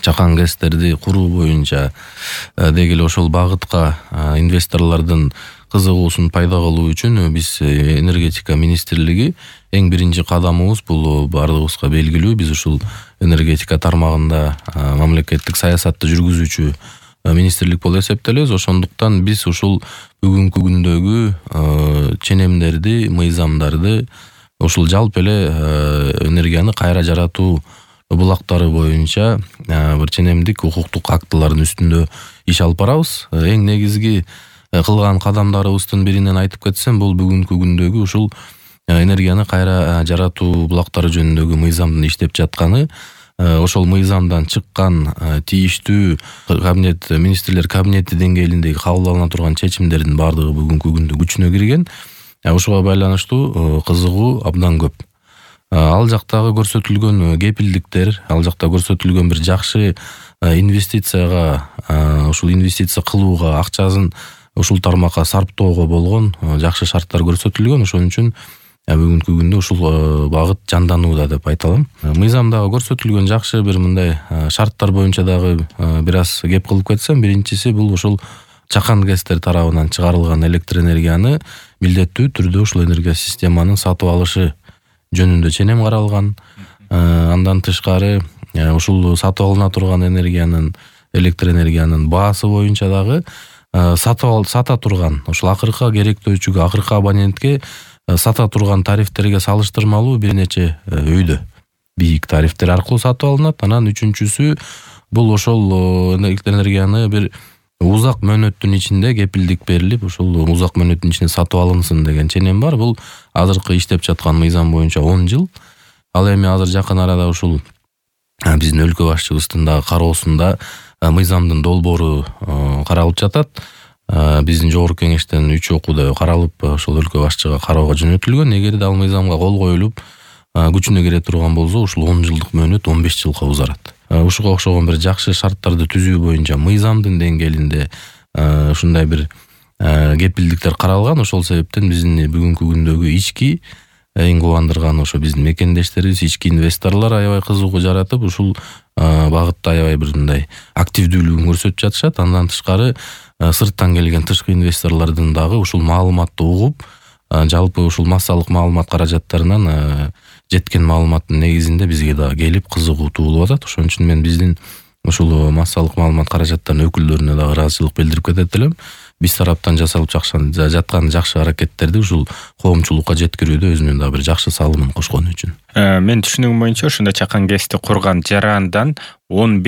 чакан гэстерди куруу боюнча деги эле ошол багытка инвесторлордун кызыгуусун пайда кылуу үчүн биз энергетика министрлиги эң биринчи кадамыбыз бул баардыгыбызга белгилүү. Биз ушул энергетика тармагында мамлекеттик саясатты жүргүзүүчү министрлик болуп эсептелебиз. Ошондуктан биз ушул бүгүнкү күндөгү ченемдерди, мыйзамдарды, ушул жалпы эле энергияны кайра жаратуу булактары боюнча бир ченемдик укуктук актылардын үстүндө иш алып барабыз. Эң негизги кылган кадамдарыбыздын биринен айтып кетсем, бул бүгүнкү күндөгү ушул энергияны кайра жаратуу булактары жөнүндөгү мыйзамдын иштеп жатканы. Ошол мыйзамдан чыккан тийиштүү кабинет, министрлер кабинети деңгээлиндеги кабыл алына турган чечимдердин баардыгы бүгүнкү күндө күчүнө кирген. Ушуга байланыштуу кызыгуу абдан көп. Ал жактагы көрсөтүлгөн кепилдиктер, ал жакта көрсөтүлгөн бир жакшы инвестицияга, ушул инвестиция кылууга, акчасын ушул тармакка сарптоого болгон жакшы шарттар көрсөтүлгөн. Ошон үчүн бүгүнкү күндө ушул багыт жанданууда деп айта алам. Мыйзамдагы көрсөтүлгөн жакшы бир мындай шарттар боюнча дагы бир аз кеп кылып кетсем, биринчиси бул ушул чакан гэстер тарабынан чыгарылган электр энергияны милдеттүү түрдө ушул энергия системанын сатып алышы жөнүндө ченем каралган. Андан тышкары ушул сатып алына турган электр энергиянын баасы боюнча дагы сата турган ушул акыркы керектөөчүгө, акыркы абонентке сата турган тарифтерге салыштырмалуу бир нече өйдө бийик тарифтер аркылуу сатып алынат. Анан үчүнчүсү бул ошол электр энергияны бир узак мөөнөттүн ичинде кепилдик берилип, ушул узак мөөнөттүн ичинде сатып алынсын деген ченем бар. Бул азыркы иштеп жаткан мыйзам боюнча 10 жыл. Ал эми азыр жакын арада ушул биздин өлкө башчыбыздын дагы кароосунда мыйзамдын долбоору каралып жатат. Биздин жогорку кеңештен 3 окууда каралып, ошол өлкө башчыга кароого жөнөтүлгөн. Эгерде ал мыйзамга кол коюлуп, күчүнө кире турган болсо, ушул 10 жылдык мөөнөт 15 жылга узарат. Ушуга окшогон бир жакшы шарттарды түзүү боюнча мыйзамдын деңгээлинде ушундай бир кепилдиктер каралган. Ошол себептен биздин бүгүнкү күндөгү ички эң кубандырганы ошо биздин мекендештерибиз, ички инвесторлор аябай кызыгуу жаратып, ушул багытта аябай бир мындай активдүүлүгүн көрсөтүп жатышат. Андан тышкары сырттан келген тышкы инвесторлордун дагы ушул маалыматты угуп, жалпы ушул массалык маалымат каражаттарынан жеткен маалыматтын негизинде бизге дагы келип кызыгуу туулуп атат. Ошон үчүн мен биздин ушул массалык маалымат каражаттарынын өкүлдөрүнө дагы ыраазычылык билдирип кетет элем. Биз тараптан жасалып жаткан жакшы аракеттерди ушул коомчулукка жеткирүүдө өзүнүн дагы бир жакшы салымын кошкону үчүн. Мен түшүнүгүм боюнча ушундай чакан гэсти курган жарандан 10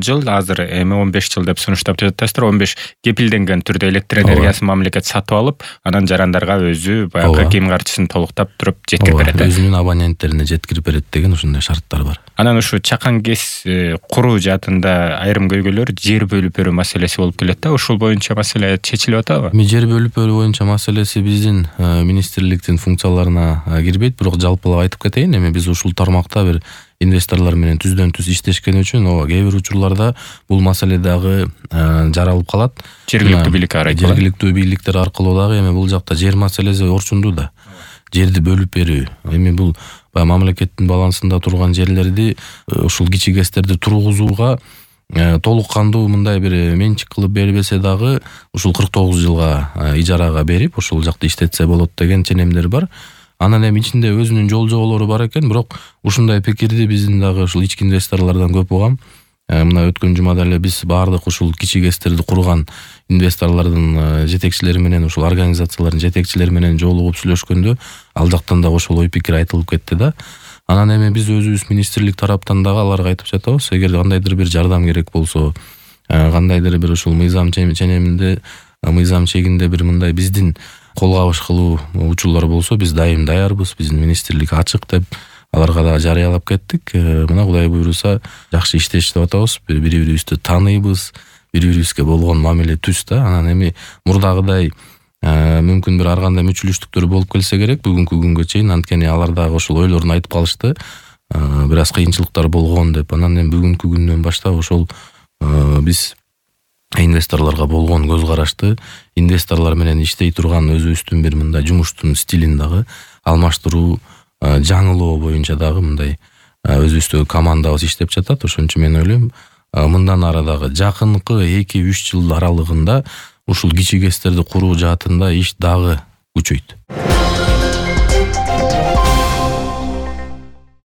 жыл, азыр эми 15 жыл деп сунуштап жатасыздар. 15 кепилденген түрдө электр энергиясын мамлекет сатып алып, анан жарандарга өзү баягы кийим карчысын толуктап туруп жеткирип берет. Өзүнүн абоненттерине жеткирип берет деген ушундай шарттар бар. Анан ушу чакан гэс куруу жаатында айрым көйгөйлөр жер бөлүп берүү маселеси болуп келет да. Ушул боюнча маселе чечилип атабы? Жер бөлүп берүү боюнча маселеси биздин министрликтин функцияларына кирбейт, бирок жалпылап айтып кетейин. Эми биз ушул тармакта бир инвесторлор менен түздөн түз иштешкен үчүн кээ бир учурларда бул маселе дагы жаралып калат. Жергиликтүү бийлик аракылуу. Жергиликтүү бийликтер аркылуу дагы эми бул жакта жер маселеси орчундуу да. Жерди бөлүп берүү. Эми бул мамлекеттин балансында турган жерлерди ушул кичи гэстерди тургузууга толук кандуу мындай бир менчик кылып бербесе дагы ушул 49 жылга ижарага берип, ошол жакта иштетсе болот деген ченемдер бар. Анан эми ичинде өзүнүн жол-жоболору бар экен, бирок ушундай пикирди биздин дагы ушул ички инвесторлордон көп угам. Мына өткөн жумада эле биз баардык ушул кичи гэстерди курган инвесторлордун жетекчилери менен, ушул организациялардын жетекчилери менен жолугуп сүйлөшкөндө ал жактан да ошол ой пикир айтылып кетти да. Анан эми биз өзүбүз министрлик тараптан дагы аларга айтып жатабыз, эгер кандайдыр бир жардам керек болсо, кандайдыр бир ушул мыйзам ченеминде, мыйзам чегинде бир мындай биздин кол кабыш кылуу учурлар болсо, биз дайым даярбыз, биздин министрлик ачык деп аларга да жарыялап кеттик. Мына Кудай буйруса жакшы иштешип атабыз, бири-бирибизди тааныйбыз, бири-бирибизге болгон мамиле түз да. Анан эми мурдагыдай мүмкүн бир ар кандай мүчүлүштүктөр болуп келсе керек бүгүнкү күнгө чейин, анткени алар дагы ошол ойлорун айтып калышты. Бир аз кыйынчылыктар болгон деп. Анан эми бүгүнкү күндөн баштап ошол биз инвесторлорго болгон көз карашты, инвесторлор менен иштей турган өзүбүздүн бир мындай жумуштун стилин дагы алмаштыруу, жаңылоо боюнча дагы мындай өзүбүздөгү командабыз иштеп жатат. Ошон үчүн мен ойлойм, мындан ары дагы жакынкы 2-3 жыл аралыгында ушул кичи ГЭСтерди куруу жаатында иш дагы күчөйт.